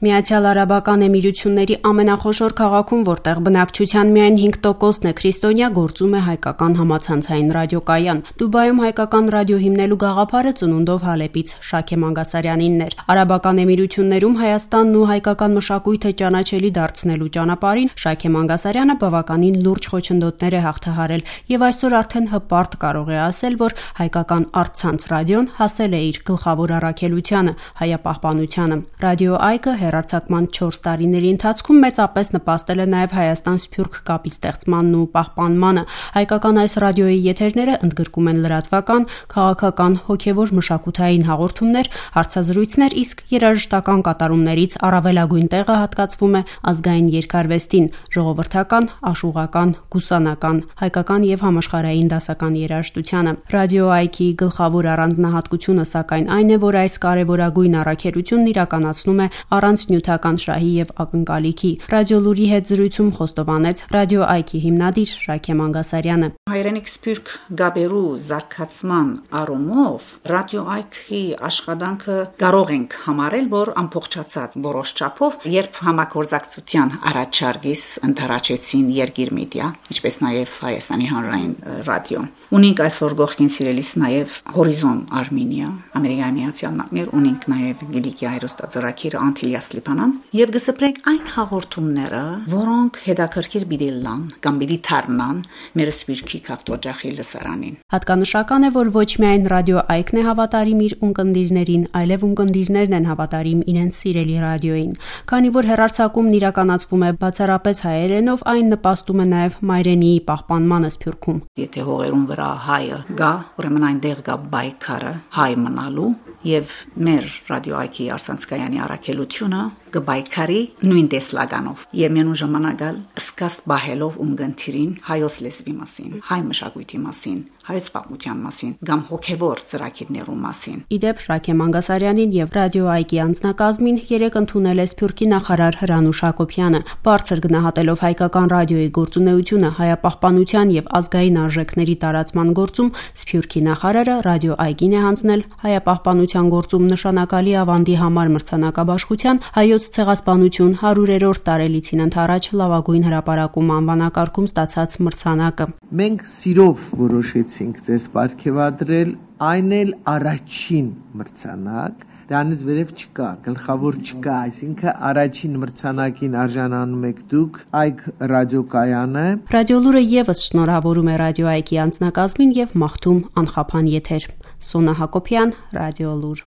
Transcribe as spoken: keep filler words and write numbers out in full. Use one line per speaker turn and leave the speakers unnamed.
Միացյալ Արաբական Էմիրությունների ամենախոշոր քաղաքում, որտեղ բնակչության միայն հինգ տոկոսն է քրիստոնյա, գործում է հայկական համացանցային ռադիոկայան։ Դուբայում հայկական ռադիո հիմնելու գաղափարը ծնունդով Հալեպից Շաքե Մանգասարյանինն էր։ Արաբական Էմիրություններում Հայաստանն ու հայկական մշակույթը ճանաչելի դարձնելու ճանապարհին Շաքե Մանգասարյանը բավականին լուրջ խոչընդոտներ է հաղթահարել եւ այսօր արդեն հպարտ կարող է ասել, որ հայկական առցանց ռադիոն հասել է իր գլխավոր առաքելությանը՝ հայապահպանությանը։ Ռադիո Այգը հեռարձակման չորս տարիների ընթացքում մեծապես նպաստել է նաև Հայաստան-Սփյուռք կապի ստեղծմանն ու պահպանմանը։ Հայկական այս ռադիոյի եթերները ընդգրկում են լրատվական, քաղաքական, հոգևոր մշակութային հաղորդումներ, հարցազրույցներ, իսկ երաժշտական կատարումներից առավելագույն տեղը հատկացվում է ազգային երգարվեստին, ժողովրդական, աշուղական, գուսանական, հայկական եւ համաշխարհային դասական երաժշտությանը։ Ռադիո Այգի գլխավոր առանձնահատկությունը սակայն այն է, որ այս կարևորագույն առաքելությունն իրականացնում է առանց նյութական շահի եւ ակնկալիքի։ Ռադիոլուրի հետ զրույցում խոստովանեց Ռադիո Այգի հիմնադիր Շաքե Մանգասարյանը։
Հայրենիք սփյուռք գաբերու զարգացման առումով Ռադիո Այգի աշխատանքը կարող ենք համարել, որ ամբողջացած որոշ չափով, երբ համագործակցության առաջարկից ընթരാճեցին Երգիր մեդիա, ինչպես նաեւ Հայաստանի հանրային ռադիո։ Ունենք այսօր գողքին սիրելիս նաեւ Հորիզոն Արմենիա, Ամերիկայի Միացյալ Նահանգներ, ունենք նաեւ Գիլիկի հերոստաձեռագիր Անտիլիաս Լիբանան եւ գսպրենք այն հաղորդումները, որոնք հետաքրքիր բիդելան կամ բիդի թարնան մեր սպիրկի կապտոջախի լսարանին։
Հատկանշական է, որ ոչ միայն Ռադիո Այգն է հավատարիմ իր ունկնդիրներին, այլև ունկնդիրներն են հավատարիմ իրենց սիրելի ռադիոյին։ Քանի որ հեռարձակումն իրականացվում է բացառապես հայերենով, այն նպաստում է նաեւ մայրենիի պահպանմանը Սփյուռքում։
Եթե հողերուն վրա հայը գա, ուրեմն այնտեղ գա բայկարը հայ մնալու եւ մեր Ռադիո Այգի արցանցկայանի առաքելությունը գբայքարի նույն տեսլականով եւ մենուն ժամանակալ սկսած բահելով ունգընթիրին հայոց լեզվի մասին, հայ մշակույթի մասին, հայոց պատմության մասին, կամ հոգեվոր ծրագիրներու մասին։
Իդեպ Շաքե Մանգասարյանին եւ Ռադիո Այգի անձնակազմին երեք ընդունել է Սփյուռքի նախարար Հրանուշ Հակոբյանը։ Բարձր գնահատելով հայկական ռադիոյի գործունեությունը հայապահպանության եւ ազգային արժեքների տարածման գործում, Սփյուռքի նախարարը Ռադիո Այգին է հանձնել հայապահպանության գործում նշանակալի ավանդի համար մրցանակաբաշխության հայոց ցեղասպանություն հարյուրերորդ տարելիցին ընթരാճ լավագույն հրապարակում անվանակարգում ստացած մրցանակը։
Մենք սիրով որոշեցինք ձեզ պարգևադրել, այն էլ առաջին մրցանակ, դրանից վերև չկա, գլխավոր չկա, այսինքն առաջին մրցանակին արժանանում եք դուք, Այգ ռադիոկայանը։
Ռադիոլուրը եւս շնորհավորում է Ռադիո Այգի անձնակազմին եւ մաղթում անխափան եթեր։ Սոնա Հակոբյան, Ռադիոլուր։